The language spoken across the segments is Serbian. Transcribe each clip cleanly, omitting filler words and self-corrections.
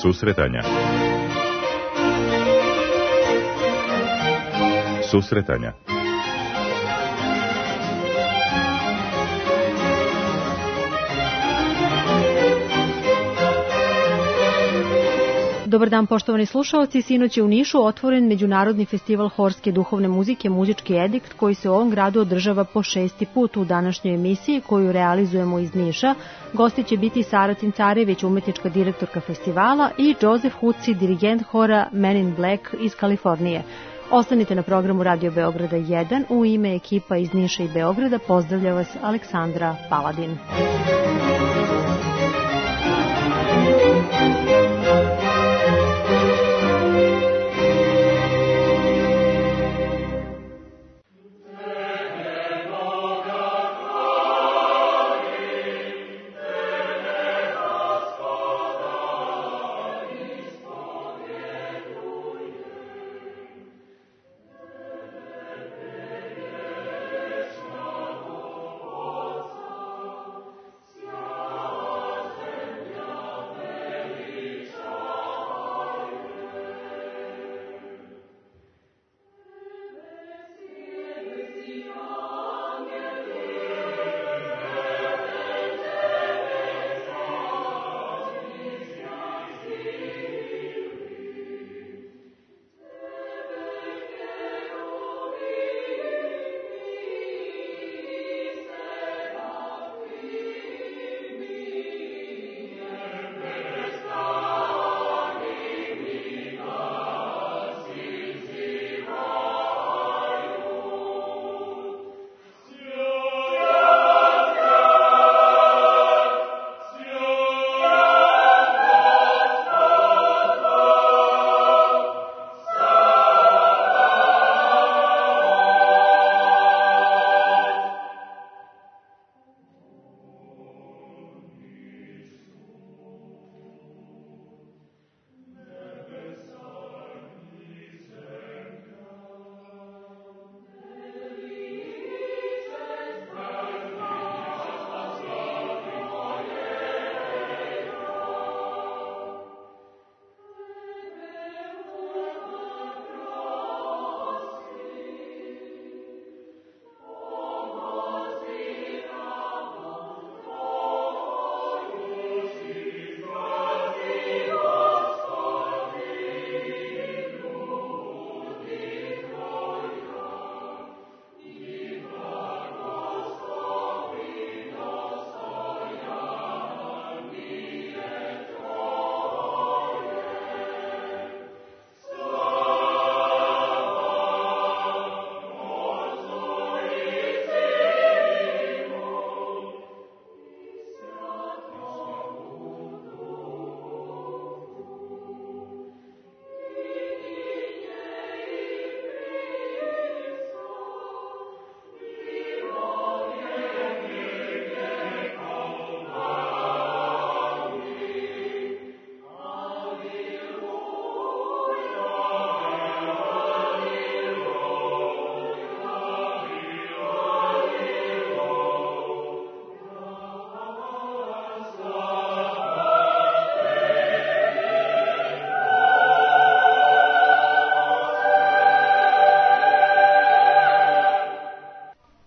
Susretanja. Susretanja. Dobar dan, poštovani slušaoci. Sinoć je u Nišu otvoren Međunarodni festival horske duhovne muzike Muzički edikt, koji se u ovom gradu održava po 6. put. U današnjoj emisiji koju realizujemo iz Niša gosti će biti Sara Cincarević, umetnička direktorka festivala, i Joseph Huci, dirigent hora Men in Black iz Kalifornije. Ostanite na programu Radio Beograda 1. U ime ekipa iz Niša i Beograda pozdravlja vas Aleksandra Paladin.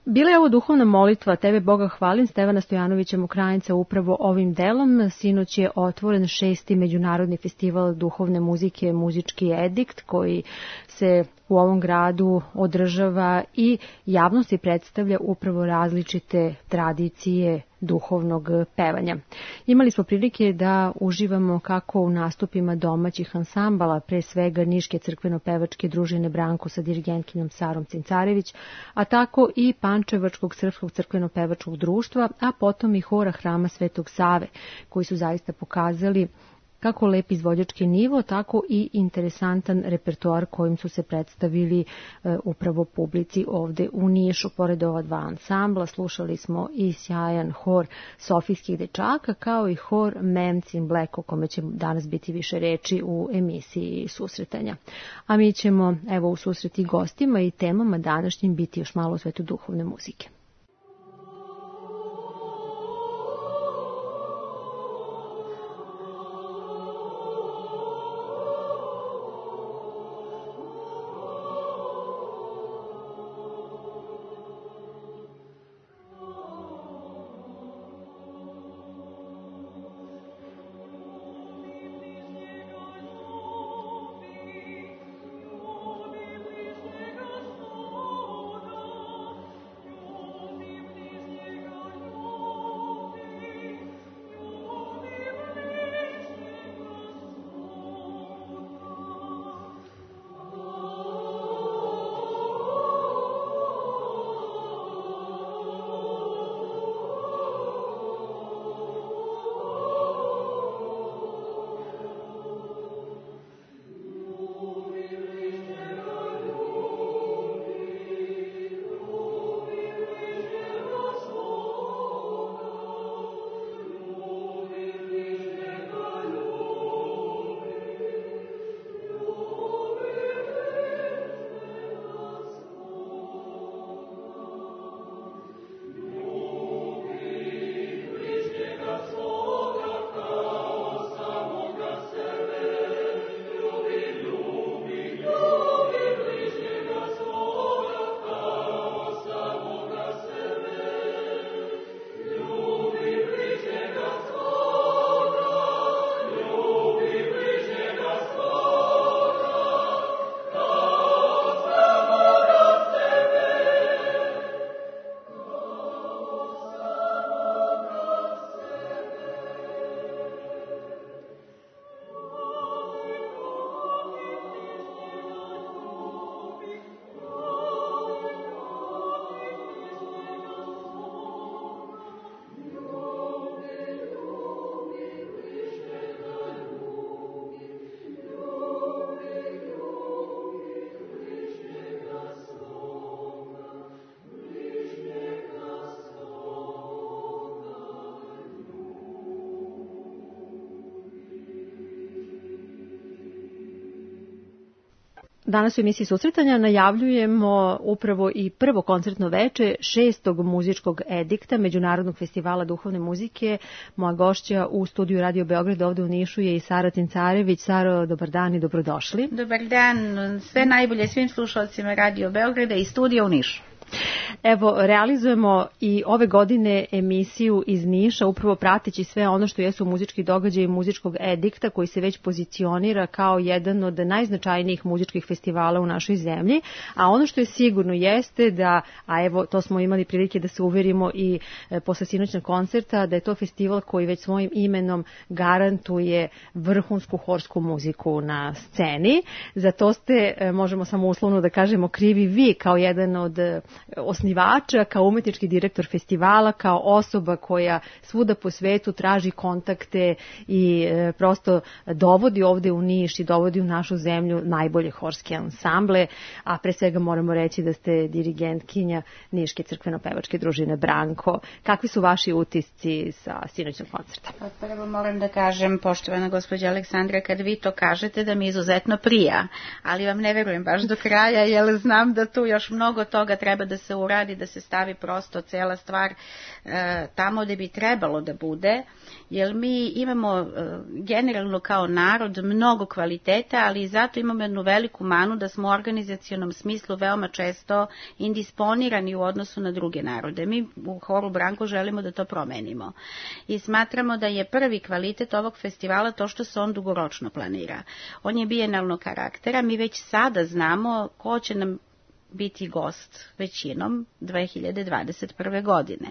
Bila je ovo duhovna molitva Tebe Boga hvalim Stevana Stojanovića Mokranjca upravo ovim delom. Sinoć je otvoren 6. Međunarodni festival duhovne muzike Muzički edikt, koji se u ovom gradu održava i javnosti predstavlja upravo različite tradicije duhovnog pevanja. Imali smo prilike da uživamo kako u nastupima domaćih ansambala, pre svega Niške crkveno-pevačke družine Branko sa dirigentkinjom Sarom Cincarević, a tako i Pančevačkog srpskog crkveno-pevačkog društva, a potom i hora Hrama Svetog Save, koji su zaista pokazali kako lep izvođački nivo, tako i interesantan repertoar kojim su se predstavili upravo publici ovde u Nišu. Pored ova dva ansambla slušali smo i sjajan hor Sofijskih dečaka, kao i hor Men in Black, o kome će danas biti više reči u emisiji Susretanja. A mi ćemo u susreti gostima i temama današnjim biti još malo u svetu duhovne muzike. Danas u emisiji Susretanja najavljujemo upravo i prvo koncertno veče 6. muzičkog edikta Međunarodnog festivala duhovne muzike. Moja gošća u studiju Radio Beograd ovde u Nišu je i Sara Cincarević. Saro, dobar dan i dobrodošli. Dobar dan, sve najbolje svim slušalcima Radio Beograda i studija u Nišu. Evo, realizujemo i ove godine emisiju iz Niša, upravo prateći sve ono što jesu muzički događaji muzičkog edikta, koji se već pozicionira kao jedan od najznačajnijih muzičkih festivala u našoj zemlji, a ono što je sigurno jeste da, a evo to smo imali prilike da se uverimo i posle sinoćnog koncerta, da je to festival koji već svojim imenom garantuje vrhunsku horsku muziku na sceni. Za to ste, možemo samo uslovno da kažemo, krivi vi kao jedan od osnivača, kao umetnički direktor festivala, kao osoba koja svuda po svetu traži kontakte i prosto dovodi ovde u Niš i dovodi u našu zemlju najbolje horske ansamble, a pre svega moramo reći da ste dirigentkinja Niške crkveno-pevačke družine Branko. Kakvi su vaši utisci sa sinoćnog koncerta? Prvo moram da kažem, poštovana gospođa Aleksandra, kad vi to kažete da mi izuzetno prija, ali vam ne verujem baš do kraja, jer znam da tu još mnogo toga treba da se uradi, da se stavi prosto cela stvar tamo gde bi trebalo da bude, jer mi imamo generalno kao narod mnogo kvaliteta, ali i zato imamo jednu veliku manu da smo u organizacionom smislu veoma često indisponirani u odnosu na druge narode. Mi u horu Branko želimo da to promenimo i smatramo da je prvi kvalitet ovog festivala to što se on dugoročno planira. On je bijenalnog karaktera, mi već sada znamo ko će nam biti gost većinom 2021. godine.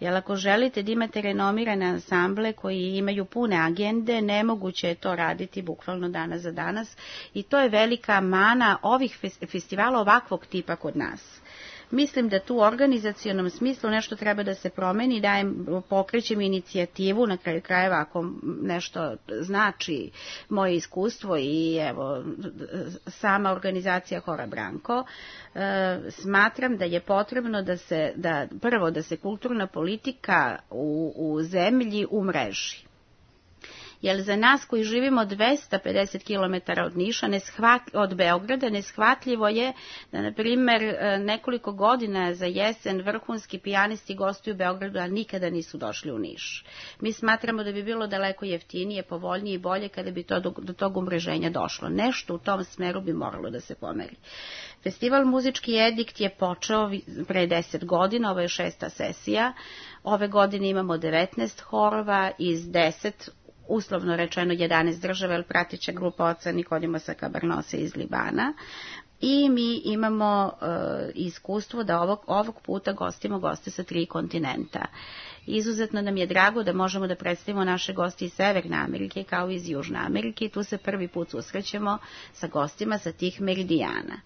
Jer ako želite da imate renomirane ansamble koji imaju pune agende, nemoguće je to raditi bukvalno danas za danas i to je velika mana ovih festivala ovakvog tipa kod nas. Mislim da tu u organizacionom smislu nešto treba da se promeni, pokrećem inicijativu, na kraju krajeva ako nešto znači moje iskustvo i evo sama organizacija Hora Branko, smatram da je potrebno prvo da se kulturna politika u zemlji umreži. Jer za nas koji živimo 250 km od Niša, od Beograda, neshvatljivo je da, na primjer, nekoliko godina za jesen vrhunski pijanisti gostuju u Beogradu, a nikada nisu došli u Niš. Mi smatramo da bi bilo daleko jeftinije, povoljnije i bolje kada bi do tog umreženja došlo. Nešto u tom smeru bi moralo da se pomeri. Festival Muzički edikt je počeo pre 10 godina, ovo je 6. sesija. Ove godine imamo 19 horova iz 10, uslovno rečeno 11 država, jer pratića grupa oca Nikodimosa Kabarnose iz Libana. I mi imamo iskustvo da ovog puta gostimo goste sa 3 kontinenta. Izuzetno nam je drago da možemo da predstavimo naše goste iz Severne Amerike kao i iz Južne Amerike i tu se prvi put susrećemo sa gostima sa tih meridijana.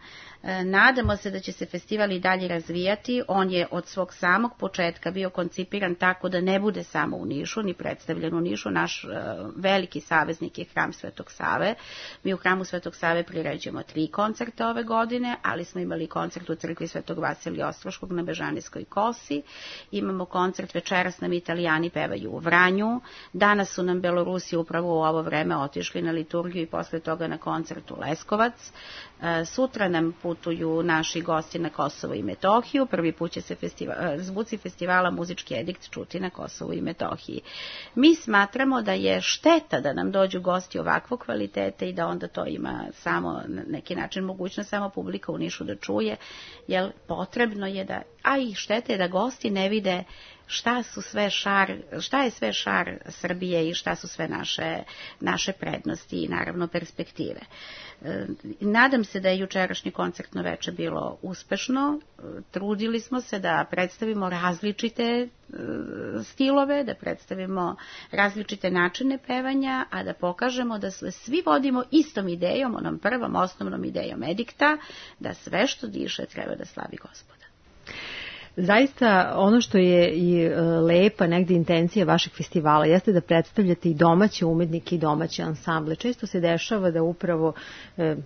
Nadamo se da će se festival i dalje razvijati. On je od svog samog početka bio koncipiran tako da ne bude samo u Nišu, ni predstavljen u Nišu. Naš veliki saveznik je Hram Svetog Save. Mi u Hramu Svetog Save priređujemo 3 koncerta ove godine, ali smo imali koncert u crkvi Svetog Vasilija Ostroškog na Bežanijskoj kosi. Imamo koncert večeras nam Italijani pevaju u Vranju. Danas su nam Belorusi upravo u ovo vreme otišli na liturgiju i posle toga na koncert u Leskovac. Sutra nam putuju naši gosti na Kosovo i Metohiju. Prvi put će se zvuci festivala Muzički edikt čuti na Kosovu i Metohiji. Mi smatramo da je šteta da nam dođu gosti ovakvog kvaliteta i da onda to ima samo na neki način mogućnost samo publika u Nišu da čuje, jer potrebno je da, a i šteta je da gosti ne vide šta je sve šar Srbije i šta su sve naše prednosti i naravno perspektive. Nadam se da je jučerašnje koncertno veče bilo uspešno. Trudili smo se da predstavimo različite stilove, da predstavimo različite načine pevanja, a da pokažemo da svi vodimo istom idejom, onom prvom osnovnom idejom edikta, da sve što diše treba da slavi Gospoda. Zaista ono što je i lepa negde intencija vašeg festivala jeste da predstavljate i domaće umetnike i domaće ansamble. Često se dešava da upravo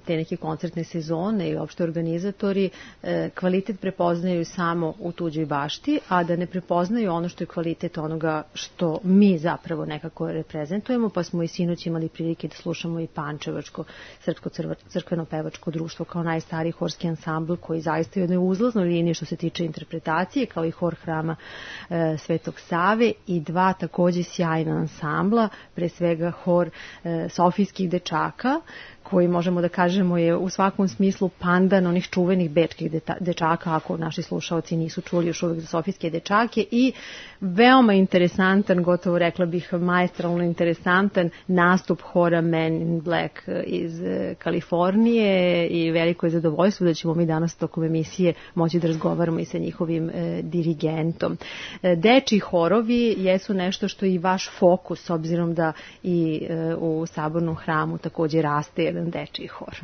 te neke koncertne sezone i opšte organizatori kvalitet prepoznaju samo u tuđoj bašti, a da ne prepoznaju ono što je kvalitet onoga što mi zapravo nekako reprezentujemo, pa smo i sinoć imali prilike da slušamo i Pančevačko srpsko crkveno-pevačko društvo kao najstariji horski ansambl koji zaista je u jednoj uzlaznoj liniji što se tiče interpretacije, kao i hor hrama Svetog Save i dva takođe sjajna ansambla, pre svega hor Sofijskih dečaka, koji možemo da kažemo je u svakom smislu pandan onih čuvenih bečkih dečaka, ako naši slušaoci nisu čuli još uvijek za Sofijske dečake, i veoma interesantan, gotovo rekla bih maestralno interesantan nastup hora Men in Black iz Kalifornije i veliko je zadovoljstvo da ćemo mi danas tokom emisije moći da razgovaramo i sa njihovim dirigentom. Dečiji horovi jesu nešto što je i vaš fokus, s obzirom da i u Sabornom hramu takođe raste jedan dečiji hor.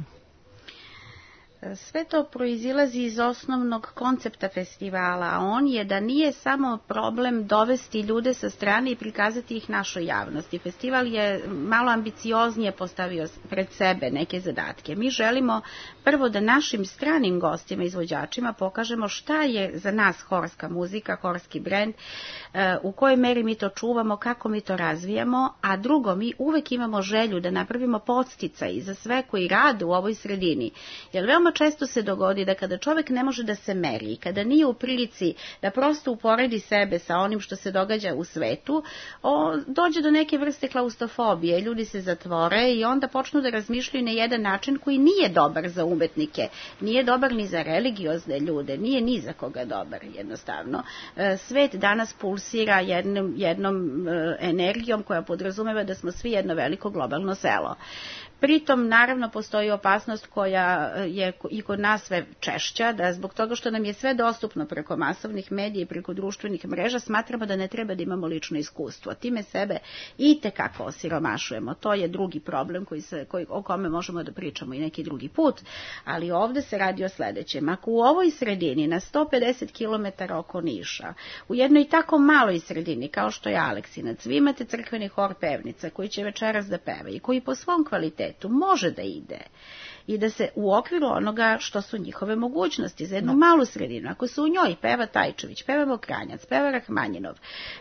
Sve to proizilazi iz osnovnog koncepta festivala, a on je da nije samo problem dovesti ljude sa strane i prikazati ih našoj javnosti. Festival je malo ambicioznije postavio pred sebe neke zadatke. Mi želimo prvo da našim stranim gostima, izvođačima pokažemo šta je za nas horska muzika, horski brend, u kojoj meri mi to čuvamo, kako mi to razvijamo, a drugo, mi uvek imamo želju da napravimo podsticaj za sve koji rade u ovoj sredini. Jer veoma često se dogodi da kada čovek ne može da se meri i kada nije u prilici da prosto uporedi sebe sa onim što se događa u svetu, dođe do neke vrste klaustrofobije, ljudi se zatvore i onda počnu da razmišljaju na jedan način koji nije dobar za umetnike, nije dobar ni za religiozne ljude, nije ni za koga dobar jednostavno. Svet danas pulsira jednom energijom koja podrazumeva da smo svi jedno veliko globalno selo. Pritom, naravno, postoji opasnost koja je i kod nas sve češća, da zbog toga što nam je sve dostupno preko masovnih medija i preko društvenih mreža, smatramo da ne treba da imamo lično iskustvo. Time sebe i tekako osiromašujemo. To je drugi problem o kome možemo da pričamo i neki drugi put, ali ovde se radi o sledećem. Ako u ovoj sredini, na 150 km oko Niša, u jednoj tako maloj sredini kao što je Aleksinac, vi imate crkveni hor pevnica koji će večeras da peva i koji po svom kvalitetu može da ide i da se u okviru onoga što su njihove mogućnosti za jednu malu sredinu. Ako se u njoj peva Tajčević, peva Mokranjac, peva Rahmanjinov,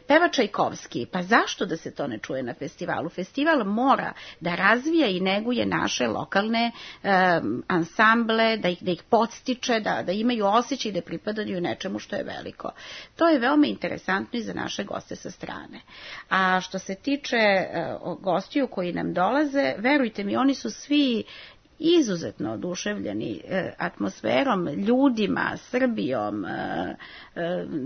peva Čajkovski, pa zašto da se to ne čuje na festivalu? Festival mora da razvija i neguje naše lokalne ansamble, da ih podstiče, da imaju osjećaj da pripadaju nečemu što je veliko. To je veoma interesantno i za naše goste sa strane. A što se tiče gostiju koji nam dolaze, verujte mi, oni su svi izuzetno oduševljeni atmosferom, ljudima, Srbijom,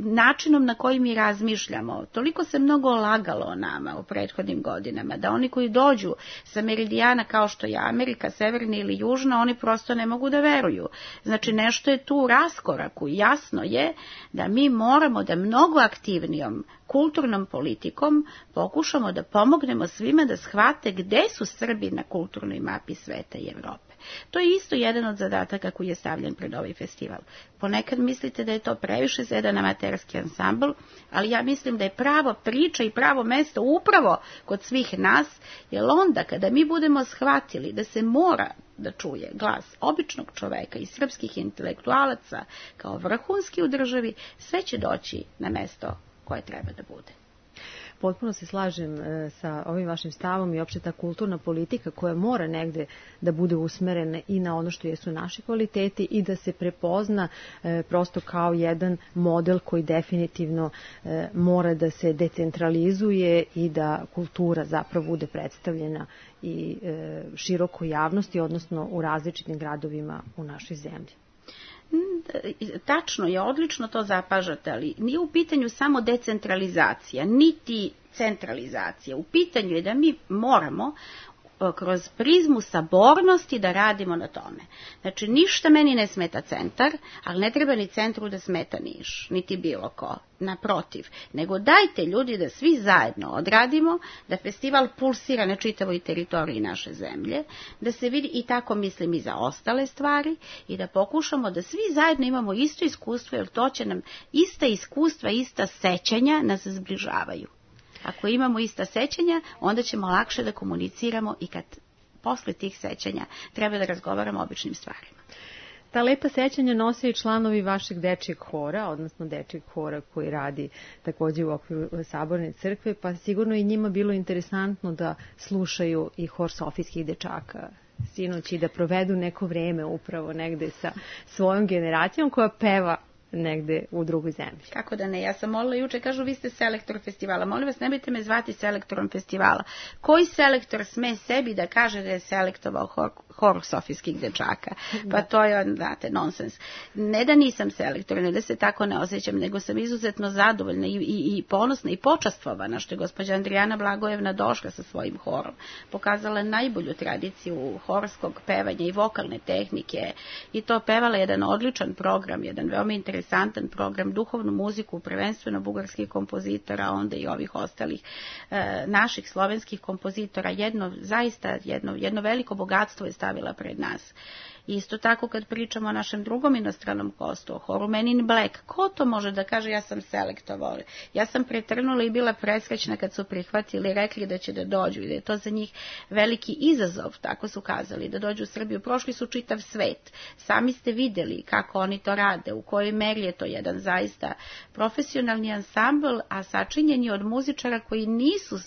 načinom na koji mi razmišljamo. Toliko se mnogo lagalo o nama u prethodnim godinama, da oni koji dođu sa meridijana kao što je Amerika, severna ili južna, oni prosto ne mogu da veruju. Znači, nešto je tu u raskoraku. Jasno je da mi moramo da mnogo aktivnijom kulturnom politikom pokušamo da pomognemo svima da shvate gde su Srbi na kulturnoj mapi sveta i Evrope. To je isto jedan od zadataka koji je stavljen pred ovaj festival. Ponekad mislite da je to previše za jedan amaterski ansambl, ali ja mislim da je pravo priča i pravo mesto upravo kod svih nas, jer onda kada mi budemo shvatili da se mora da čuje glas običnog čoveka i srpskih intelektualaca kao vrhunski u državi, sve će doći na mesto koje treba da bude. Potpuno se slažem sa ovim vašim stavom i opšte ta kulturna politika koja mora negde da bude usmerena i na ono što jesu naši kvaliteti i da se prepozna prosto kao jedan model koji definitivno mora da se decentralizuje i da kultura zapravo bude predstavljena i širokoj javnosti, odnosno u različitim gradovima u našoj zemlji. Tačno je, odlično to zapažate, ali nije u pitanju samo decentralizacija, niti centralizacija. U pitanju je da mi moramo kroz prizmu sabornosti da radimo na tome. Znači, ništa meni ne smeta centar, ali ne treba ni centru da smeta Niš, niti bilo ko, naprotiv. Nego dajte ljudi da svi zajedno odradimo, da festival pulsira na čitavoj teritoriji naše zemlje, da se vidi, i tako mislim i za ostale stvari, i da pokušamo da svi zajedno imamo isto iskustvo, jer to će nam ista iskustva, ista sećanja nas zbližavaju. Ako imamo ista sećanja, onda ćemo lakše da komuniciramo i kad posle tih sećanja treba da razgovaramo o običnim stvarima. Ta lepa sećanja nose i članovi vašeg dečijeg hora, odnosno dečijeg hora koji radi takođe u okviru Saborne crkve, pa sigurno i njima bilo interesantno da slušaju i hor Sofijskih dečaka sinoć i da provedu neko vreme upravo negde sa svojom generacijom koja peva negde u drugoj zemlji. Kako da ne, ja sam molila juče, kažu vi ste selektor festivala, molim vas nemojte me zvati selektorom festivala. Koji selektor sme sebi da kaže da je selektovao hor Sofijskih dečaka? Pa to je, znate, nonsens. Ne da nisam selektor, ne da se tako ne osjećam, nego sam izuzetno zadovoljna i ponosna i počastvovana što je gospođa Andrijana Blagojevna došla sa svojim horom. Pokazala najbolju tradiciju horskog pevanja i vokalne tehnike i to pevala jedan odličan program, jedan veoma interesantan program, duhovnu muziku, prvenstveno bugarskih kompozitora, onda i ovih ostalih naših slovenskih kompozitora. Jedno veliko bogatstvo je stavila pred nas. Isto tako kad pričamo o našem drugom inostranom gostu, o horu Men in Black, ko to može da kaže ja sam selektovao? Ja sam pretrnula i bila presrećna kad su prihvatili, rekli da će da dođu i da je to za njih veliki izazov, tako su kazali, da dođu u Srbiju. Prošli su čitav svet. Sami ste videli kako oni to rade, u kojoj meri je to jedan zaista profesionalni ansambl, a sačinjeni od muzičara koji nisu,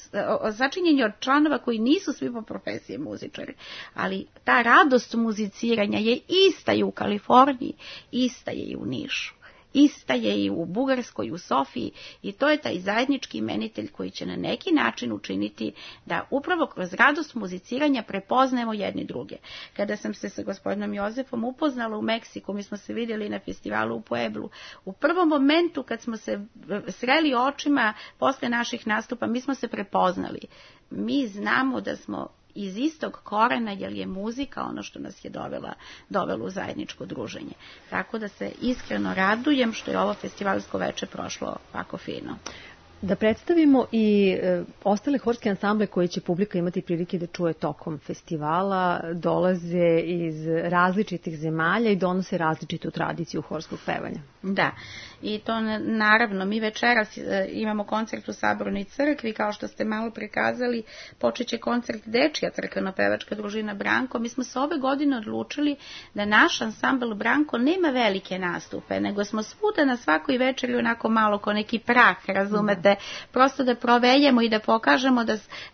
sačinjeni od članova koji nisu svi po profesiji muzičari. Ali ta radost muziciranja je ista i u Kaliforniji, ista je i u Nišu, ista je i u Bugarskoj, u Sofiji, i to je taj zajednički imenitelj koji će na neki način učiniti da upravo kroz radost muziciranja prepoznajemo jedni druge. Kada sam se sa gospodinom Jozefom upoznala u Meksiku, mi smo se vidjeli na festivalu u Pueblu, u prvom momentu kad smo se sreli očima posle naših nastupa, mi smo se prepoznali. Mi znamo da smo iz istog korena, jer je muzika ono što nas je dovelo u zajedničko druženje. Tako da se iskreno radujem što je ovo festivalsko veče prošlo ovako fino. Da predstavimo i ostale horske ansamble koje će publika imati prilike da čuje tokom festivala, dolaze iz različitih zemalja i donose različitu tradiciju horskog pevanja. Da, i to naravno, mi večeras imamo koncert u Sabornoj crkvi, kao što ste malo prikazali, počeće koncert Dečija crkveno-pevačka družina Branko. Mi smo se ove godine odlučili da naš ansambl Branko nema velike nastupe, nego smo svuda na svakoj večeri onako malo ko neki prah, razumete, prosto da proveljemo i da pokažemo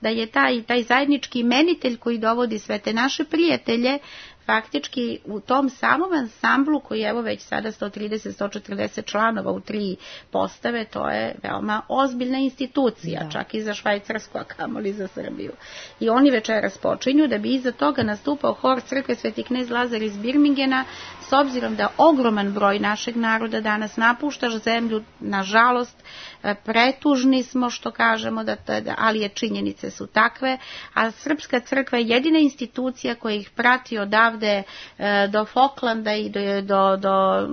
da je taj zajednički imenitelj koji dovodi sve te naše prijatelje faktički u tom samom ansamblu koji evo već sada 130-140 članova u 3 postave, to je veoma ozbiljna institucija, da. Čak i za Švajcarsku, a kamoli za Srbiju. I oni večeras počinju da bi iza toga nastupao hor crkve Sveti knez Lazar iz Birmingena, s obzirom da ogroman broj našeg naroda danas napušta zemlju, nažalost, pretužni smo što kažemo, ali je činjenice su takve, a Srpska crkva je jedina institucija koja ih prati odavde do Falklanda i do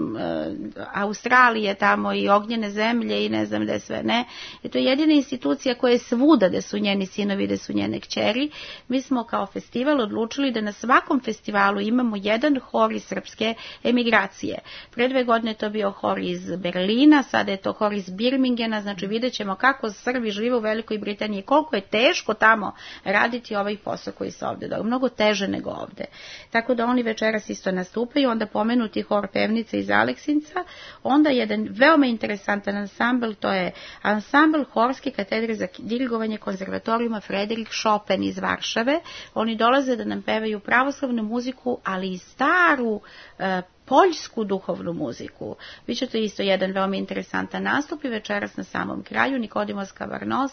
Australije tamo i Ognjene zemlje i ne znam gde sve ne. I to je jedina institucija koja je svuda gde su njeni sinovi, gde su njene kćeri. Mi smo kao festival odlučili da na svakom festivalu imamo jedan hor iz srpske emigracije. Pre 2 godine to bio hor iz Berlina, sada je to hor iz Birmingena, znači vidjet ćemo kako Srbi žive u Velikoj Britaniji, koliko je teško tamo raditi ovaj posao koji se ovde događa, mnogo teže nego ovde. Tako da oni večeras isto nastupaju, onda pomenuti hor pevnice iz Aleksinca, onda jedan veoma interesantan ansambl, to je ansambl Horske katedre za dirigovanje konzervatorijuma Frederik Chopin iz Varšave. Oni dolaze da nam pevaju pravoslavnu muziku, ali i staru poljsku duhovnu muziku. Biće to isto jedan veoma interesantan nastup i večeras na samom kraju Nikodimos Kavarnos,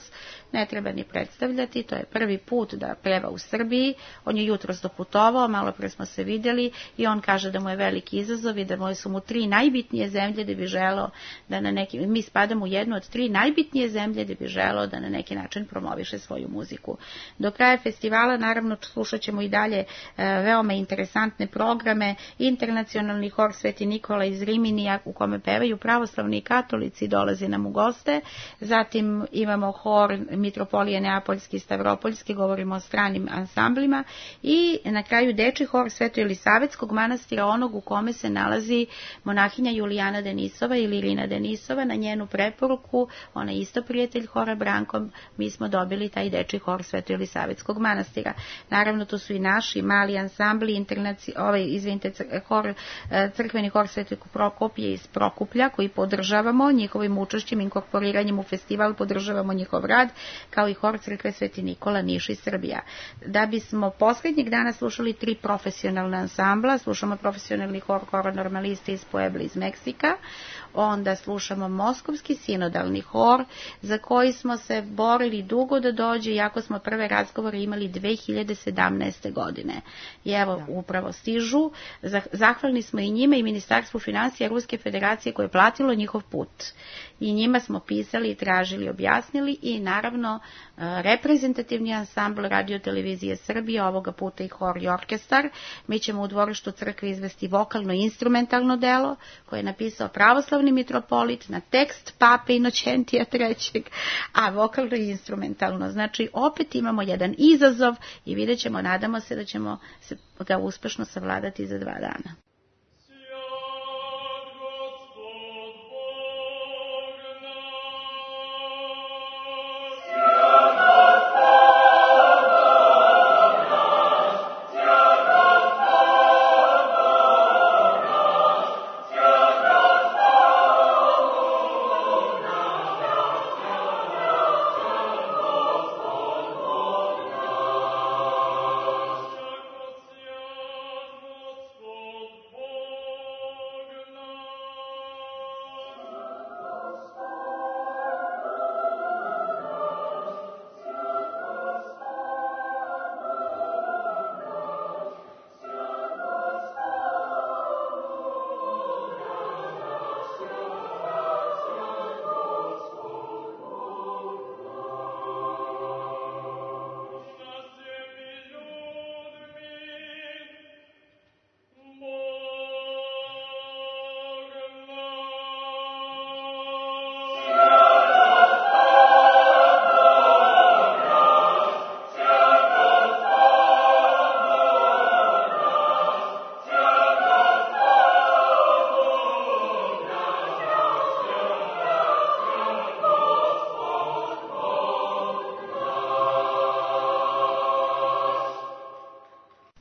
ne treba ni predstavljati, to je prvi put da peva u Srbiji, on je jutros doputovao, malo pre smo se vidjeli i on kaže da mu je veliki izazov i da su mu 3 najbitnije zemlje da bi želeo da na neki, mi spadamo u jednu od 3 najbitnije zemlje da bi želeo da na neki način promoviše svoju muziku. Do kraja festivala naravno slušat ćemo i dalje veoma interesantne programe, internacionalni hor Sveti Nikola iz Riminija u kome pevaju pravoslavni i katolici, dolazi nam u goste, zatim imamo hor Mitropolije Neapoljski i Stavropoljski, govorimo o stranim ansamblima i na kraju dečji hor Sveto Elisavetskog manastira, onog u kome se nalazi monahinja Julijana Denisova ili Irina Denisova. Na njenu preporuku, ona je isto prijatelj hora Branko, mi smo dobili taj dečji hor Sveto Elisavetskog manastira. Naravno tu su i naši mali ansambli, crkveni hor Svetog Prokopije iz Prokuplja koji podržavamo njihovim učešćem, inkorporiranjem u festival, podržavamo njihov rad, kao i hor crkve Sveti Nikola Niš i Srbija. Da bismo posljednjeg dana slušali 3 profesionalna ansambla, slušamo profesionalni hor Normaliste iz Puebla iz Meksika, onda slušamo Moskovski sinodalni hor za koji smo se borili dugo da dođe, iako smo prve razgovore imali 2017. godine. I evo, upravo stižu. Zahvalni smo i njima i Ministarstvu financija Ruske federacije koje je platilo njihov put. I njima smo pisali, tražili, objasnili i naravno reprezentativni ansambl Radio televizije Srbije, ovoga puta i hor i orkestar. Mi ćemo u dvorištu crkve izvesti vokalno-instrumentalno delo koje je napisao pravoslavni mitropolit na tekst Pape Inocentija III, a vokalno i instrumentalno. Znači, opet imamo jedan izazov i vidjet ćemo, nadamo se da ćemo ga uspešno savladati za 2 dana.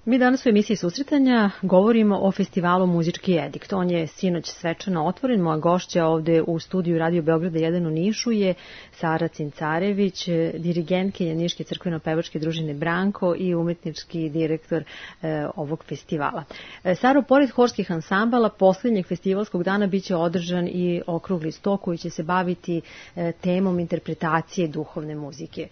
Mi danas u emisiji Susretanja govorimo o festivalu Muzički edikt. On je sinoć svečano otvoren. Moja gošća ovde u studiju Radio Beograda 1 u Nišu je Sara Cincarević, dirigentkinja Niške crkveno-pevačke družine Branko i umetnički direktor ovog festivala. Saro, pored horskih ansambala, posljednjeg festivalskog dana biće održan i okrugli sto koji će se baviti temom interpretacije duhovne muzike.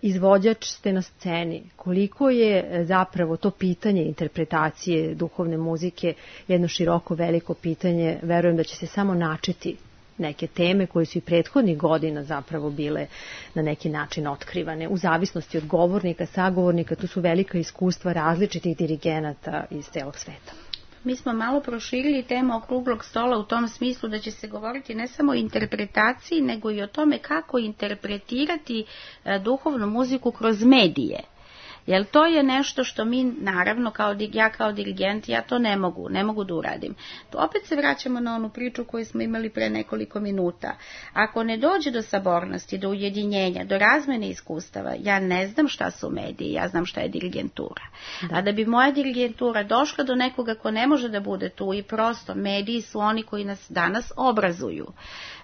Izvođač ste na sceni. Koliko je zapravo to pitanje interpretacije duhovne muzike jedno široko, veliko pitanje? Verujem da će se samo načeti neke teme koje su i prethodnih godina zapravo bile na neki način otkrivane. U zavisnosti od govornika, sagovornika, tu su velika iskustva različitih dirigenata iz celog sveta. Mi smo malo proširili temu okruglog stola u tom smislu da će se govoriti ne samo o interpretaciji, nego i o tome kako interpretirati duhovnu muziku kroz medije. Jer to je nešto što mi, naravno, ja kao dirigent, ja to ne mogu da uradim. To opet se vraćamo na onu priču koju smo imali pre nekoliko minuta. Ako ne dođe do sabornosti, do ujedinjenja, do razmene iskustava, ja ne znam šta su mediji, ja znam šta je dirigentura. Da. A da bi moja dirigentura došla do nekoga ko ne može da bude tu i prosto, mediji su oni koji nas danas obrazuju.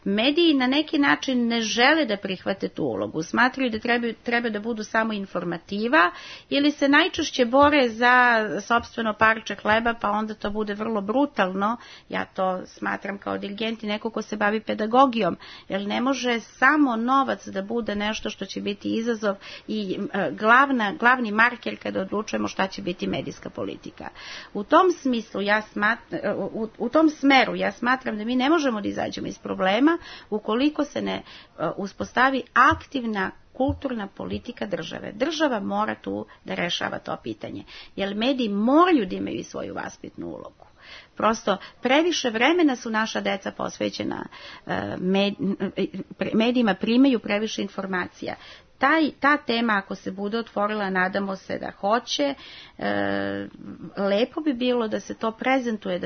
Mediji na neki način ne žele da prihvate tu ulogu, smatraju da treba da budu samo informativa ili se najčešće bore za sopstveno parče hleba, pa onda to bude vrlo brutalno. Ja to smatram kao dirigent i neko ko se bavi pedagogijom, jer ne može samo novac da bude nešto što će biti izazov i glavni marker kada odlučujemo šta će biti medijska politika. U tom smislu u tom smeru ja smatram da mi ne možemo da izađemo iz problema ukoliko se ne uspostavi aktivna kulturna politika države. Država mora tu da rešava to pitanje, jer mediji moraju da imaju svoju vaspitnu ulogu. Prosto previše vremena su naša deca posvećena medijima, primaju previše informacija. Ta tema, ako se bude otvorila, nadamo se da hoće, lepo bi bilo da se to prezentuje,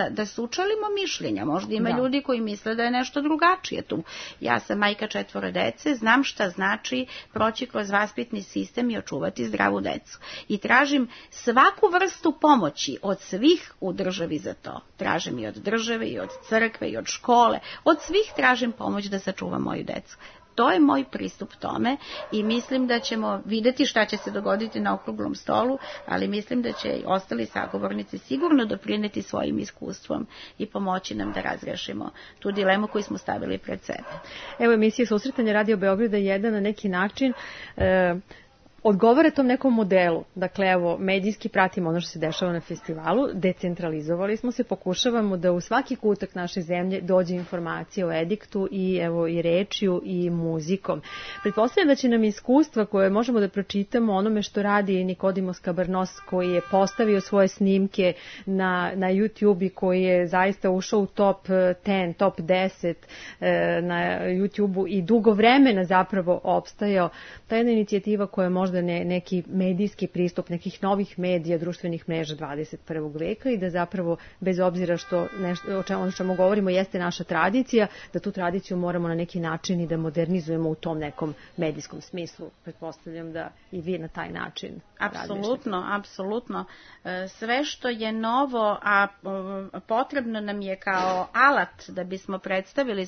da sučelimo mišljenja. Možda ima ljudi koji misle da je nešto drugačije tu. Ja sam majka 4 dece, znam šta znači proći kroz vaspitni sistem i očuvati zdravu decu. I tražim svaku vrstu pomoći od svih u državi za to. Tražim i od države, i od crkve, i od škole. Od svih tražim pomoć da sačuvam moju decu. To je moj pristup tome i mislim da ćemo videti šta će se dogoditi na okruglom stolu, ali mislim da će i ostali sagovornici sigurno doprineti svojim iskustvom i pomoći nam da razrešimo tu dilemu koju smo stavili pred sebe. Evo, emisija Susretanje Radio Beograda 1 na neki način odgovara tom nekom modelu. Dakle, evo, medijski pratimo ono što se dešava na festivalu, decentralizovali smo se, pokušavamo da u svaki kutak naše zemlje dođe informacija o ediktu i evo i rečju i muzikom. Pretpostavljam da će nam iskustva koje možemo da pročitamo onome što radi Nikodimos Kabarnos, koji je postavio svoje snimke na YouTube i koji je zaista ušao u top 10, top 10 na YouTube-u i dugo vremena zapravo opstajao. Ta jedna inicijativa koja možda neki medijski pristup nekih novih medija, društvenih mreža 21. veka i da zapravo, bez obzira što o čemu govorimo jeste naša tradicija, da tu tradiciju moramo na neki način i da modernizujemo u tom nekom medijskom smislu. Pretpostavljam da i vi na taj način Apsolutno, apsolutno. Sve što je novo, a potrebno nam je kao alat da bismo predstavili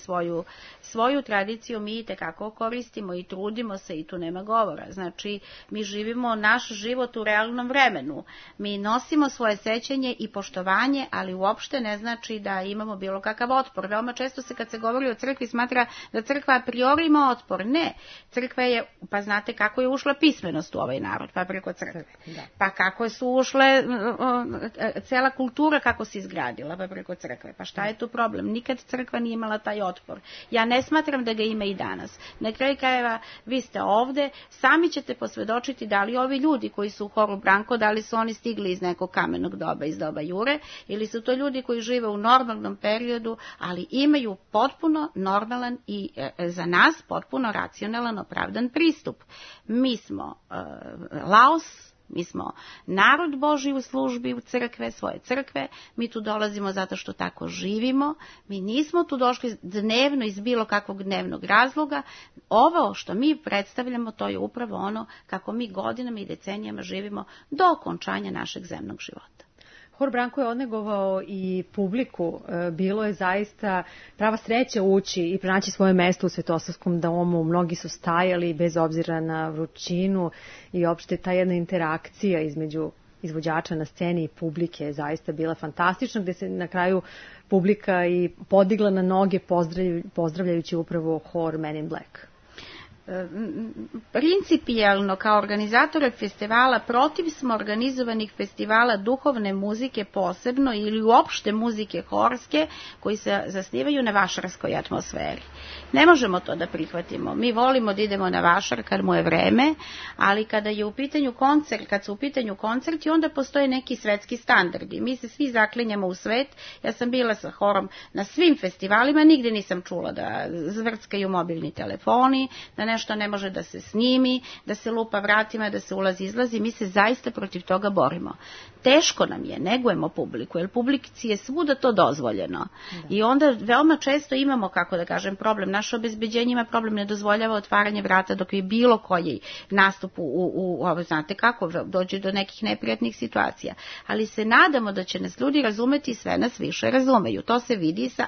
svoju tradiciju, mi i tekako koristimo i trudimo se i tu nema govora. Znači, mi živimo naš život u realnom vremenu. Mi nosimo svoje sećanje i poštovanje, ali uopšte ne znači da imamo bilo kakav otpor. Veoma često se kad se govori o crkvi smatra da crkva a priori ima otpor. Ne. Crkva je, pa znate kako je ušla pismenost u ovaj narod, pa preko crkve. Pa kako su ušle, cela kultura kako se izgradila, pa preko crkve. Pa šta je tu problem? Nikad crkva nije imala taj otpor. Ja ne smatram da ga ima i danas. Na kraju krajeva, vi ste ovde, sami ćete posvedočiti da li ovi ljudi koji su u horu Branko, da li su oni stigli iz nekog kamenog doba, iz doba Jure, ili su to ljudi koji žive u normalnom periodu, ali imaju potpuno normalan i za nas potpuno racionalan, opravdan pristup. Mi smo Laos, mi smo narod Božji u službi u crkve, svoje crkve, mi tu dolazimo zato što tako živimo, mi nismo tu došli dnevno iz bilo kakvog dnevnog razloga. Ovo što mi predstavljamo, to je upravo ono kako mi godinama i decenijama živimo do okončanja našeg zemnog života. Hor Branko je odnegovao i publiku, bilo je zaista prava sreća ući i pronaći svoje mesto u Svetosavskom domu, mnogi su stajali bez obzira na vrućinu i opšte ta jedna interakcija između izvođača na sceni i publike je zaista bila fantastična, gde se na kraju publika i podigla na noge pozdravljajući upravo hor Men in Black. Principijelno kao organizator festivala protiv smo organizovanih festivala duhovne muzike posebno ili uopšte muzike horske koji se zasnivaju na vašarskoj atmosferi. Ne možemo to da prihvatimo. Mi volimo da idemo na vašar kad mu je vreme, ali kada je u pitanju koncert, kad su u pitanju koncerti, onda postoje neki svetski standardi. Mi se svi zaklinjamo u svet. Ja sam bila sa horom na svim festivalima, nigde nisam čula da zvrckaju mobilni telefoni, da nešto ne može da se snimi, da se lupa vratima, da se ulazi, izlazi. Mi se zaista protiv toga borimo. Teško nam je, negujemo publiku, jer publici je svuda to dozvoljeno. I onda veoma često imamo, kako da kažem, problem. Naše obezbeđenje ima problem, ne dozvoljava otvaranje vrata dok je bilo koji nastup znate kako, dođe do nekih neprijatnih situacija. Ali se nadamo da će nas ljudi razumeti i sve nas više razumeju. To se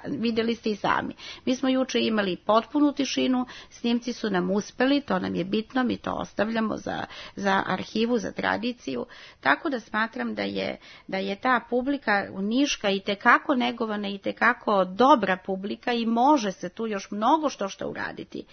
videli ste i sami. Mi smo juče imali potpunu tišinu, snimci su nam uspeli, to nam je bitno, mi to ostavljamo za arhivu, za tradiciju, tako da smatram da je ta publika niška i tekako negovana i tekako dobra publika i može se tu još mnogo što uraditi.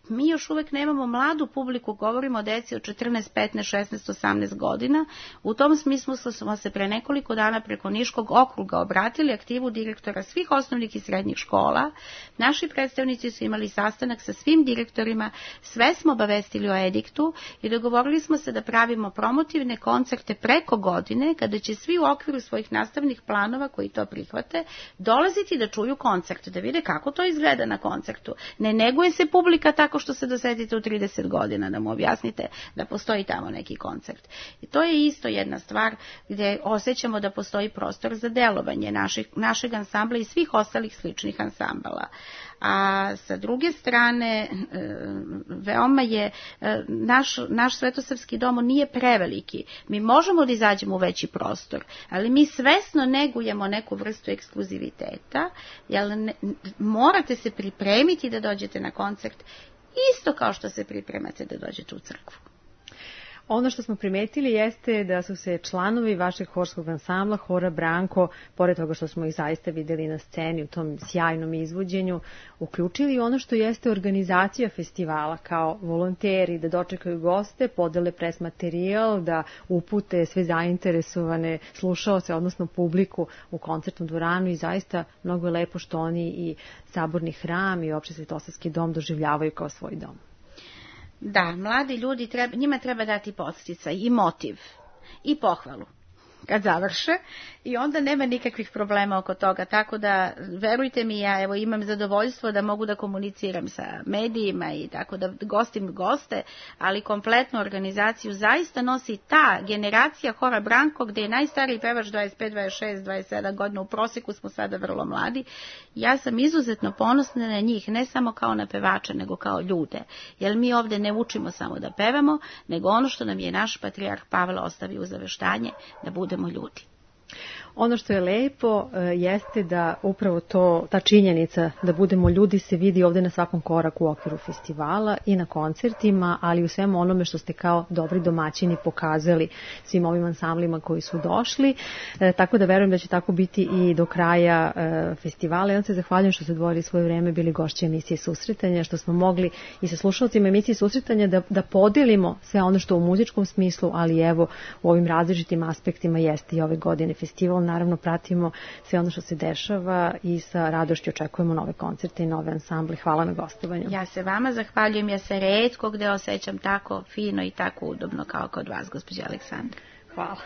Mi još uvek nemamo mladu publiku, govorimo o deci od 14, 15, 16, 18 godina. U tom smislu smo se pre nekoliko dana preko Niškog okruga obratili aktivu direktora svih osnovnih i srednjih škola. Naši predstavnici su imali sastanak sa svim direktorima, sve smo obavestili o ediktu i dogovorili smo se da pravimo promotivne koncerte preko godine, kada će svi u okviru svojih nastavnih planova koji to prihvate dolaziti da čuju koncert, da vide kako to izgleda na koncertu. Ne neguje se publika tako što se dosetite u 30 godina, da mu objasnite da postoji tamo neki koncert. I to je isto jedna stvar gdje osjećamo da postoji prostor za delovanje našeg ansambla i svih ostalih sličnih ansambala. A sa druge strane, veoma je, naš Svetosavski dom nije preveliki. Mi možemo da izađemo u veći prostor, ali mi svesno negujemo neku vrstu ekskluziviteta, jer morate se pripremiti da dođete na koncert, isto kao što se pripremate da dođete u crkvu. Ono što smo primetili jeste da su se članovi vašeg horskog ansambla, Hora Branko, pored toga što smo ih zaista videli na sceni u tom sjajnom izvođenju, uključili ono što jeste organizacija festivala kao volonteri, da dočekaju goste, podele pres materijal, da upute sve zainteresovane slušaoce, odnosno publiku u koncertnu dvoranu i zaista mnogo je lepo što oni i Saborni hram i Opšti Svetosavski dom doživljavaju kao svoj dom. Da, mladi ljudi, njima treba dati podsticaj i motiv i pohvalu kad završe i onda nema nikakvih problema oko toga, tako da verujte mi, ja evo imam zadovoljstvo da mogu da komuniciram sa medijima i tako da gostim goste, ali kompletnu organizaciju zaista nosi ta generacija Hora Branko, gde je najstariji pevač 25, 26, 27 godina, u proseku smo sada vrlo mladi. Ja sam izuzetno ponosna na njih, ne samo kao na pevače, nego kao ljude, jer mi ovde ne učimo samo da pevamo, nego ono što nam je naš patrijarh Pavle ostavio u zaveštanje, da budemo ljudi. Ono što je lepo jeste da upravo ta činjenica da budemo ljudi se vidi ovde na svakom koraku u okviru festivala i na koncertima, ali u svemu onome što ste kao dobri domaćini pokazali svim ovim ansamblima koji su došli. Tako da verujem da će tako biti i do kraja festivala. Ja vam se zahvaljujem što ste odvojili svoje vreme, bili gošći emisije Susretanja, što smo mogli i sa slušalcima emisije Susretanja da podelimo sve ono što u muzičkom smislu, ali evo u ovim različitim aspektima jeste i ove godine festival. Naravno, pratimo sve ono što se dešava i sa radošću očekujemo nove koncerte i nove ansamble. Hvala na gostovanju. Ja se vama zahvaljujem, ja se retko gde osjećam tako fino i tako udobno kao kod vas, gospođa Aleksandra. Hvala.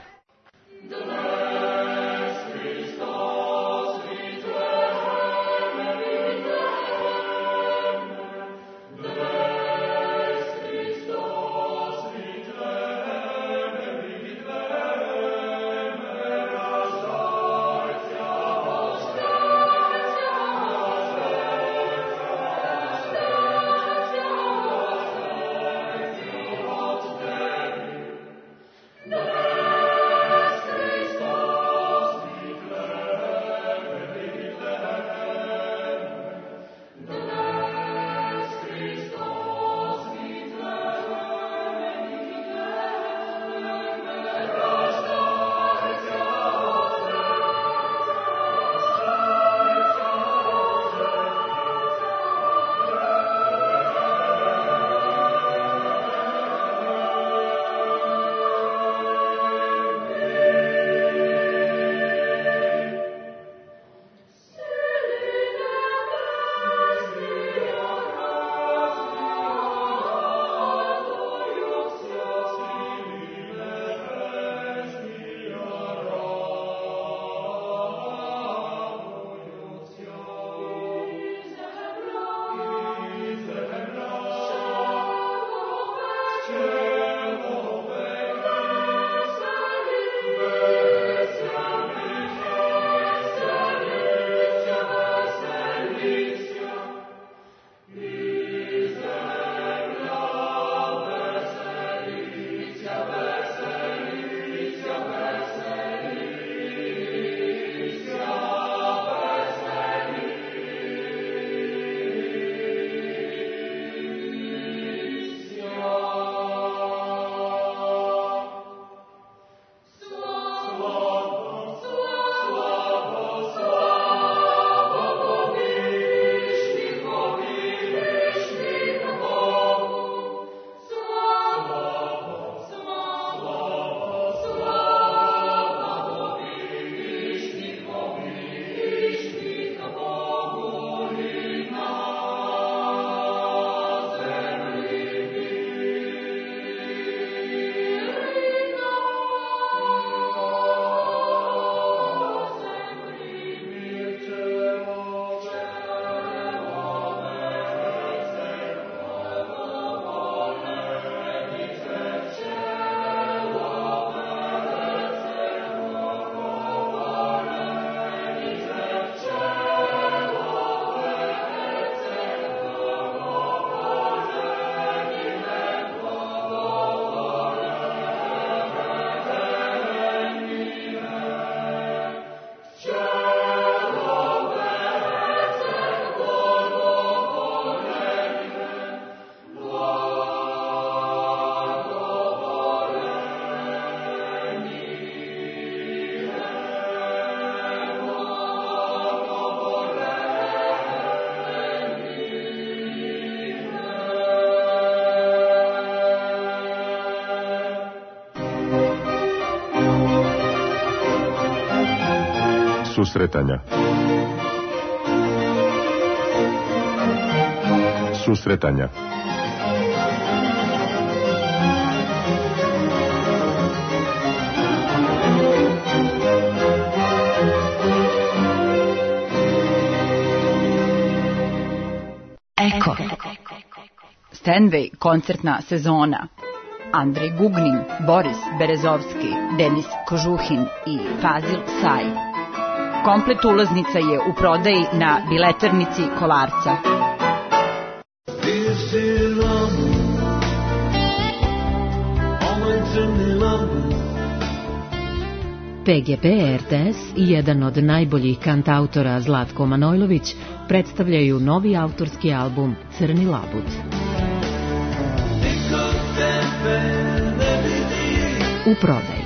Susretanja. Susretanja. Eko. Stenway koncertna sezona. Andrej Gugnin, Boris Berezovski, Denis Kožuhin i Fazil Saj. Komplet ulaznica je u prodaji na bileternici Kolarca. PGP RTS i jedan od najboljih kantautora Zlatko Manojlović predstavljaju novi autorski album Crni labud. U prodaji.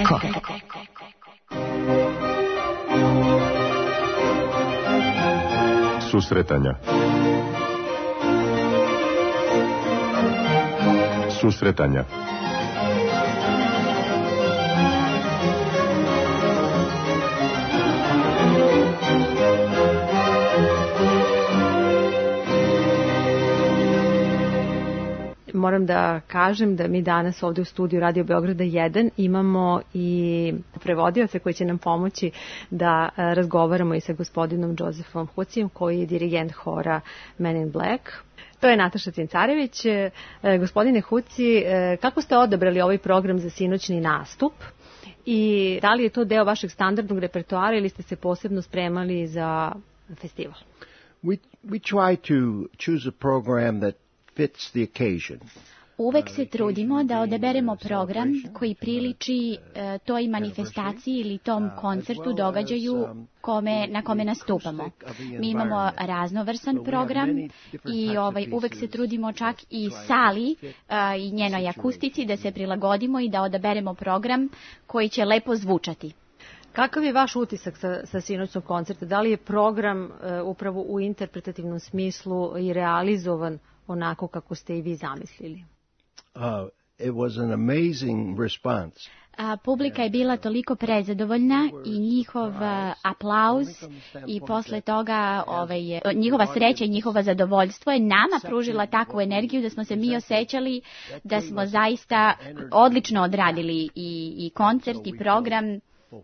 Eko. Susretanja. Susretanja. Moram da kažem da mi danas ovde u studiju Radio Beograda 1 imamo i prevodioce koji će nam pomoći da razgovaramo i sa gospodinom Josefom Hucijem, koji je dirigent hora Men in Black. To je Nataša Cincarević. Gospodine Huci, kako ste odabrali ovaj program za sinoćni nastup i da li je to deo vašeg standardnog repertoara ili ste se posebno spremali za festival? We try to choose a program that fits the occasion. Uvek se trudimo da odaberemo program koji priliči toj manifestaciji ili tom koncertu, događaju na kome nastupamo. Mi imamo raznovrsan program i uvek se trudimo čak i sali i njenoj akustici da se prilagodimo i da odaberemo program koji će lepo zvučati. Kakav je vaš utisak sa sinoćnog koncerta? Da li je program upravo u interpretativnom smislu i realizovan onako kako ste i vi zamislili? It was an amazing response. Publika je bila toliko prezadovoljna i njihov aplauz i posle toga njihova sreća i njihova zadovoljstvo je nama pružila takvu energiju da smo se mi osjećali da smo zaista odlično odradili i koncert i program.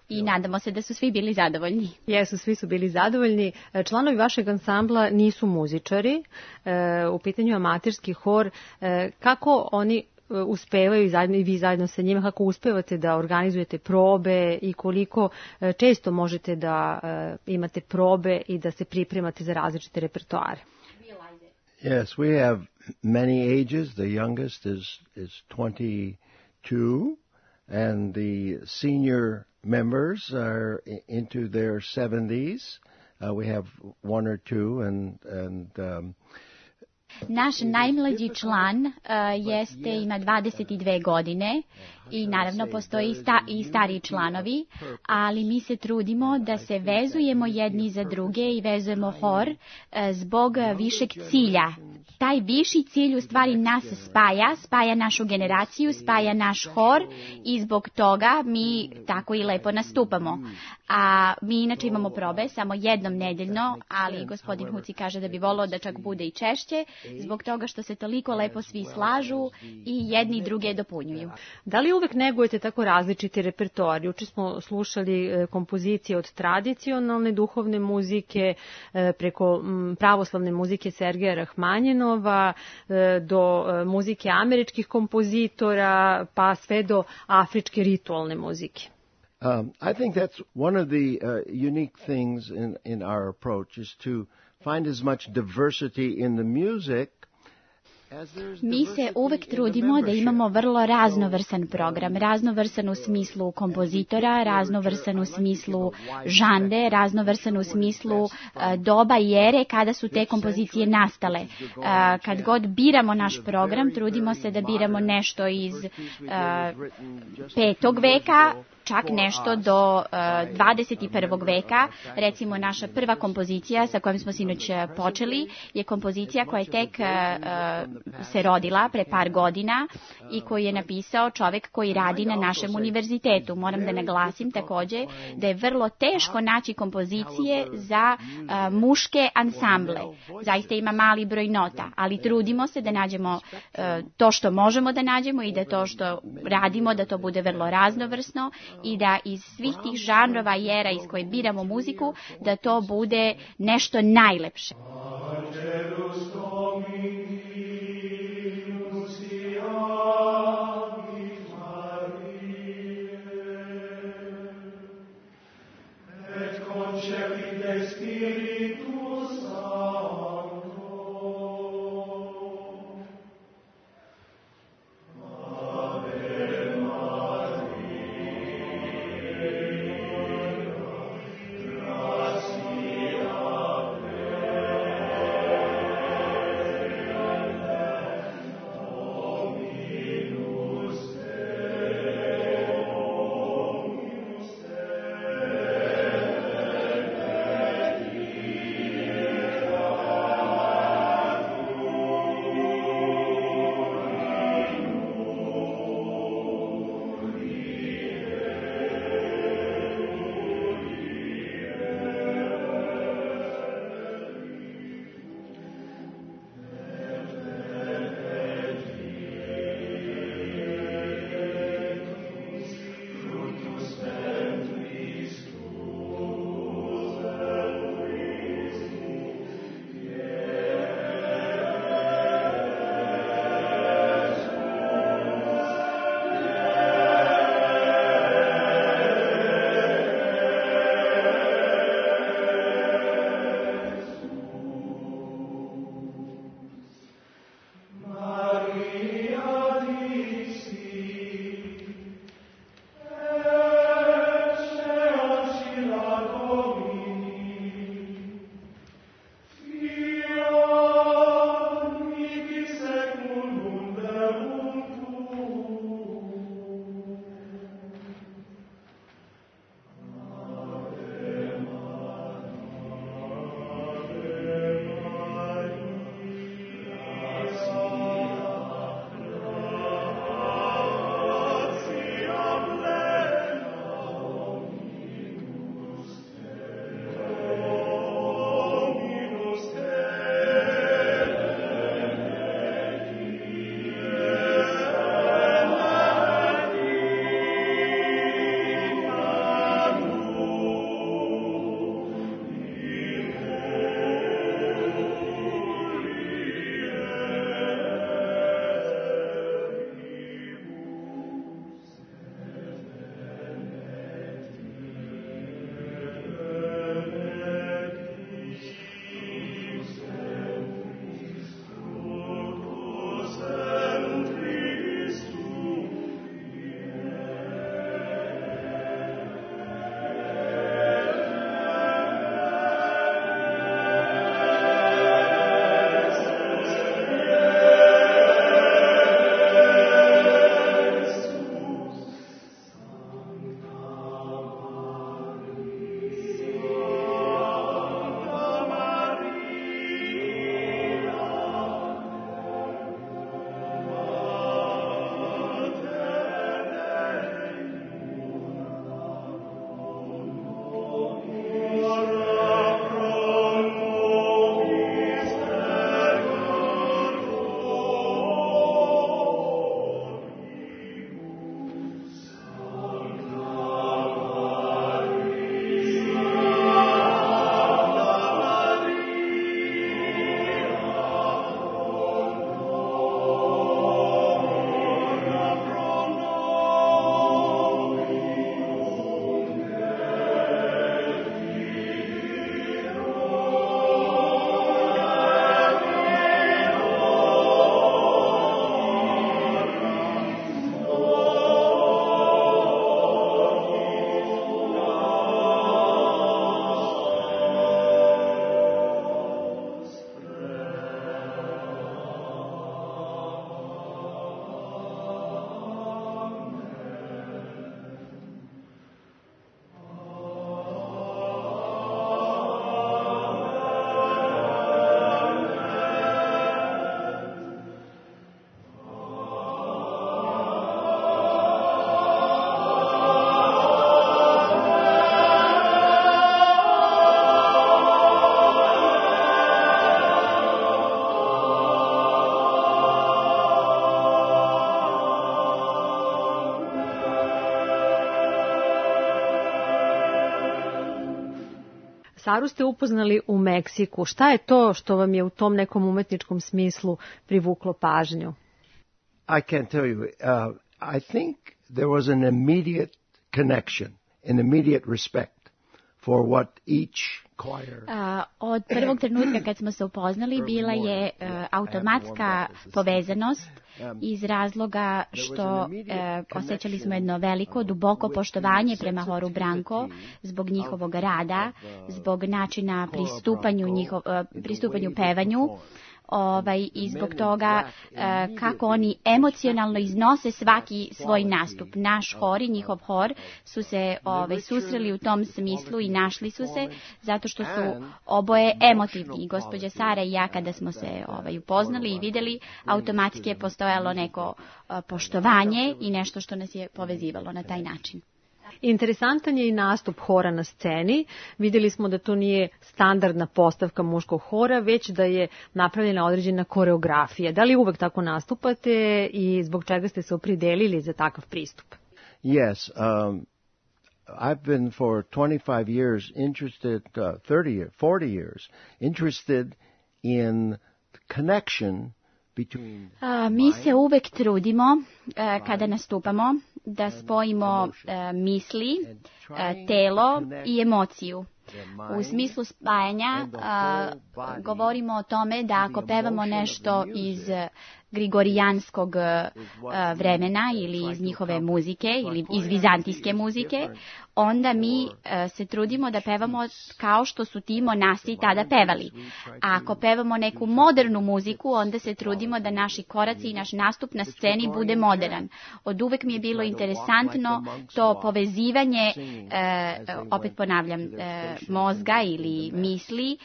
I nadamo se da su svi bili zadovoljni. Jesu, svi su bili zadovoljni. Članovi vašeg ansambla nisu muzičari, u pitanju amaterski hor. Kako oni uspevaju i vi zajedno sa njima, kako uspevate da organizujete probe i koliko često možete da imate probe i da se pripremate za različite repertoare? Yes, we have many ages. The youngest is 22 and the senior members are into their 70s. We have one or two and Naš najmlađi član ima 22 godine i naravno postoji i stariji članovi, ali mi se trudimo da se vezujemo jedni za druge i vezujemo hor zbog višeg cilja. Taj viši cilj u stvari nas spaja našu generaciju, spaja naš hor i zbog toga mi tako i lepo nastupamo. A mi inače imamo probe samo jednom nedeljno, ali gospodin Huci kaže da bi volao da čak bude i češće, zbog toga što se toliko lepo svi slažu i jedni druge dopunjuju. Da li uvek negujete tako različiti repertoar? Juče smo slušali kompozicije od tradicionalne duhovne muzike preko pravoslavne muzike Sergeja Rahmanjinova do muzike američkih kompozitora pa sve do afričke ritualne muzike. I think that's one of the unique things in our approach is to find as much diversity in the music. Mi se uvek trudimo da imamo vrlo raznovrsan program, raznovrsan u smislu kompozitora, raznovrsan u smislu žanre, raznovrsan u smislu doba i ere kada su te kompozicije nastale. Kad god biramo naš program, trudimo se da biramo nešto iz 5. veka, čak nešto do 21. veka. Recimo, naša prva kompozicija sa kojom smo sinoć počeli je kompozicija koja je tek se rodila pre par godina i koju je napisao čovek koji radi na našem univerzitetu. Moram da naglasim takođe da je vrlo teško naći kompozicije za muške ansamble. Zaista ima mali broj nota, ali trudimo se da nađemo to što možemo da nađemo i da to što radimo, da to bude vrlo raznovrsno i da iz svih tih žanrova i era iz koje biramo muziku, da to bude nešto najlepše. Saru ste upoznali u Meksiku. Šta je to što vam je u tom nekom umetničkom smislu privuklo pažnju? I can't tell you. I think there was an immediate connection, an immediate respect for what each choir... Od prvog trenutka kad smo se upoznali bila je automatska povezanost iz razloga što osjećali smo jedno veliko, duboko poštovanje prema horu Branko zbog njihovog rada, zbog načina pristupanju pevanju, i zbog toga kako oni emocionalno iznose svaki svoj nastup. Naš hor i njihov hor su se susreli u tom smislu i našli su se zato što su oboje emotivni. I gospođa Sara i ja kada smo se upoznali i videli, automatski je postojalo neko poštovanje i nešto što nas je povezivalo na taj način. Interesantan je i nastup hora na sceni. Vidjeli smo da to nije standardna postavka muškog hora, već da je napravljena određena koreografija. Da li uvek tako nastupate i zbog čega ste se opredelili za takav pristup? Yes, I've been for 25 years interested, 40 years, interested in connection between... Mi se uvek trudimo kada nastupamo da spojimo misli, telo i emociju. U smislu spajanja govorimo o tome da ako pevamo nešto iz grigorijanskog vremena ili iz njihove muzike ili iz vizantijske muzike, onda mi se trudimo da pevamo kao što su ti monasi tada pevali. A ako pevamo neku modernu muziku, onda se trudimo da naši koraci i naš nastup na sceni bude modern. Od uvek mi je bilo interesantno to povezivanje, opet ponavljam, mozga ili misli,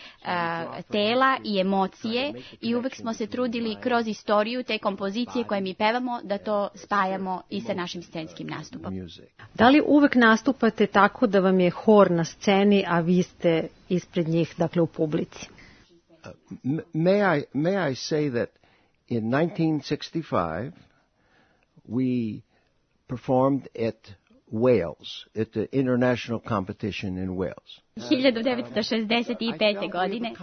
tela i emocije, i uvek smo se trudili kroz istoriju te kompozicije koje mi pevamo da to spajamo i sa našim scenskim nastupom. Da li uvek nastupate tako da vam je hor na sceni, a vi ste ispred njih, dakle u publici? May I say that in 1965 we performed at Wales, at the international competition in Wales. 1965. godine,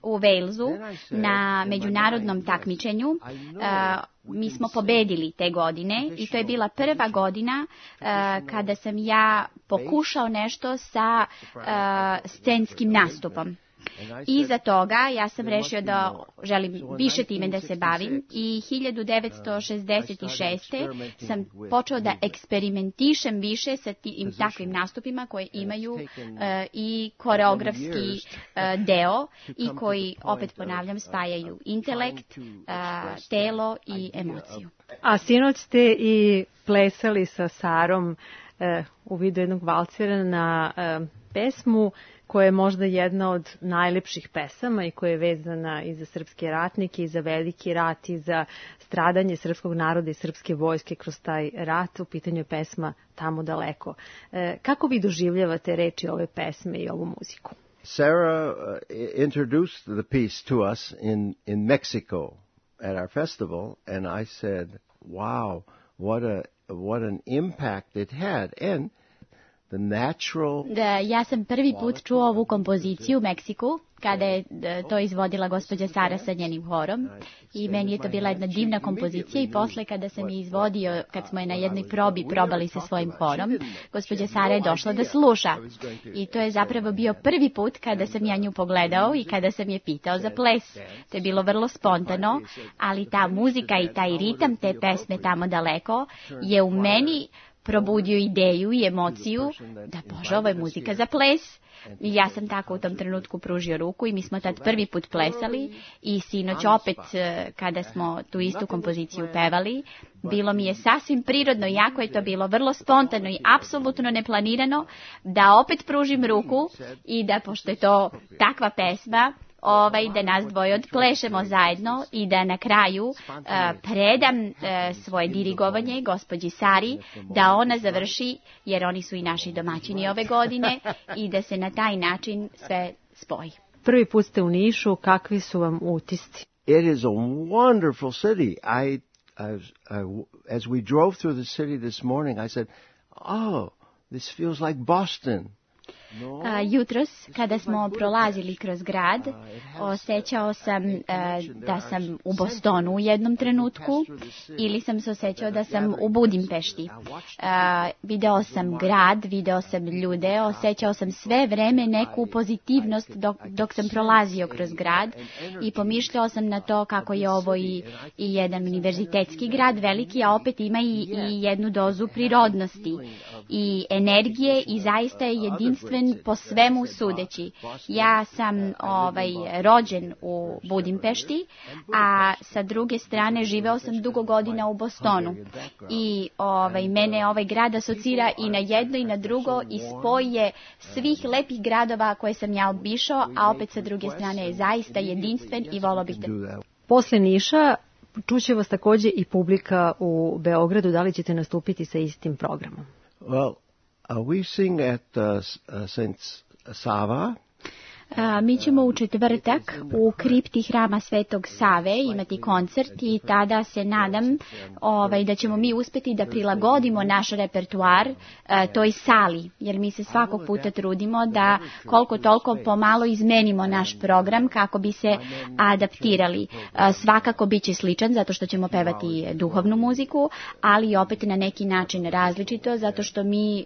u Walesu, na međunarodnom takmičenju, mi smo pobedili te godine i to je bila prva godina kada sam ja pokušao nešto sa scenskim nastupom. Iza toga ja sam rešio da želim više time da se bavim i 1966. sam počeo da eksperimentišem više sa takvim nastupima koje imaju i koreografski deo i koji, opet ponavljam, spajaju intelekt, telo i emociju. A sinoć ste i plesali sa Sarom u vidu jednog valcera na pesmu koja je možda jedna od najlepših pesama i koja je vezana i za srpske ratnike, i za veliki rat, i za stradanje srpskog naroda i srpske vojske kroz taj rat. U pitanju je pesma Tamo daleko. Kako vi doživljavate reči ove pesme i ovu muziku? Sarah introduced the piece to us in Mexico at our festival, and I said, wow, what an impact it had. And ja sam prvi put čuo ovu kompoziciju u Meksiku, kada je to izvodila gospođa Sara sa njenim horom, i meni je to bila jedna divna kompozicija, i posle kada sam je izvodio, kad smo je na jednoj probi probali sa svojim horom, gospođa Sara je došla da sluša, i to je zapravo bio prvi put kada sam ja nju pogledao i kada sam je pitao za ples. To je bilo vrlo spontano, ali ta muzika i taj ritam te pesme Tamo daleko je u meni probudio ideju i emociju da, Bože, ovo je muzika za ples. I ja sam tako u tom trenutku pružio ruku i mi smo tad prvi put plesali, i sinoć opet kada smo tu istu kompoziciju pevali, bilo mi je sasvim prirodno, jako je to bilo vrlo spontano i apsolutno neplanirano, da opet pružim ruku i da, pošto je to takva pesma, da nas dvoje odplešemo zajedno i da na kraju predam svoje dirigovanje gospođi Sari, da ona završi, jer oni su i naši domaćini ove godine, i da se na taj način sve spoji. Prvi put ste u Nišu, kakvi su vam utisci? It is a wonderful city. As we drove through the city this morning, I said, oh, this feels like Boston. Jutros, kada smo prolazili kroz grad, osjećao sam da sam u Bostonu u jednom trenutku ili sam se osjećao da sam u Budimpešti. Video sam grad, video sam ljude, osjećao sam sve vreme neku pozitivnost dok sam prolazio kroz grad i pomišljao sam na to kako je ovo i jedan univerzitetski grad veliki, a opet ima i jednu dozu prirodnosti i energije i zaista je jedinstven po svemu sudeći. Ja sam rođen u Budimpešti, a sa druge strane živeo sam dugo godina u Bostonu i mene ovaj grad asocira i na jedno i na drugo i spoj je svih lepih gradova koje sam ja obišao, a opet sa druge strane je zaista jedinstven i volao bih da... Posle Niša čuće vas takođe i publika u Beogradu. Da li ćete nastupiti sa istim programom? Well, we sing at St. Sava. Mi ćemo u četvrtak u kripti Hrama Svetog Save imati koncert i tada se nadam da ćemo mi uspeti da prilagodimo naš repertoar toj sali, jer mi se svakog puta trudimo da koliko toliko pomalo izmenimo naš program kako bi se adaptirali. Svakako bit će sličan zato što ćemo pevati duhovnu muziku, ali opet na neki način različito zato što mi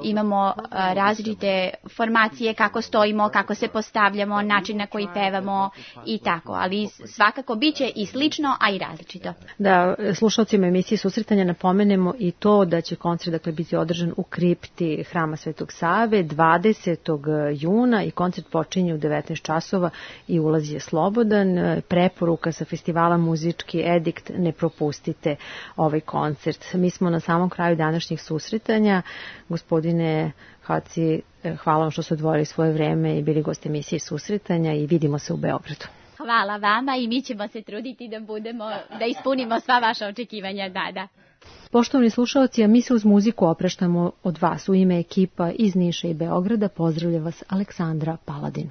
imamo različite formacije kako stojimo, kako se postavljamo, način na koji pevamo i tako, ali svakako bit će i slično, a i različito. Da, slušalcima emisije Susretanja napomenemo i to da će koncert biti održan u kripti Hrama Svetog Save 20. juna i koncert počinje u 19 časova i ulaz je slobodan. Preporuka sa festivala Muzički edikt, ne propustite ovaj koncert. Mi smo na samom kraju današnjih susretanja. Gospodine Haci, hvala vam što ste odvojili svoje vreme i bili gosti emisije Susretanja i vidimo se u Beogradu. Hvala vama i mi ćemo se truditi da ispunimo sva vaša očekivanja. Da. Poštovani slušalci, a mi se uz muziku opraštamo od vas. U ime ekipa iz Niša i Beograda pozdravlja vas Aleksandra Paladin.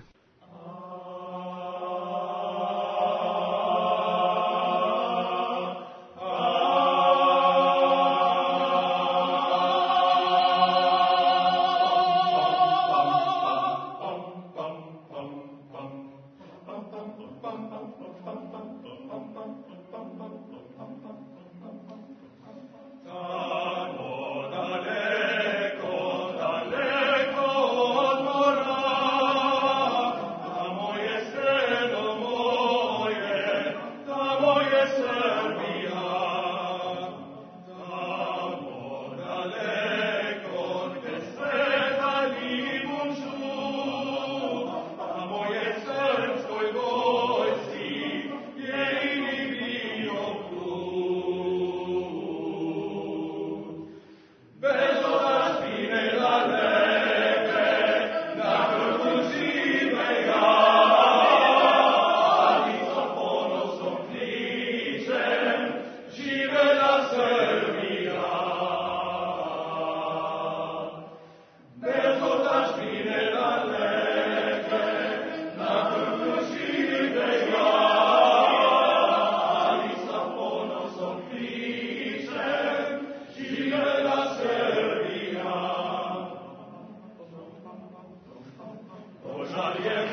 Požar je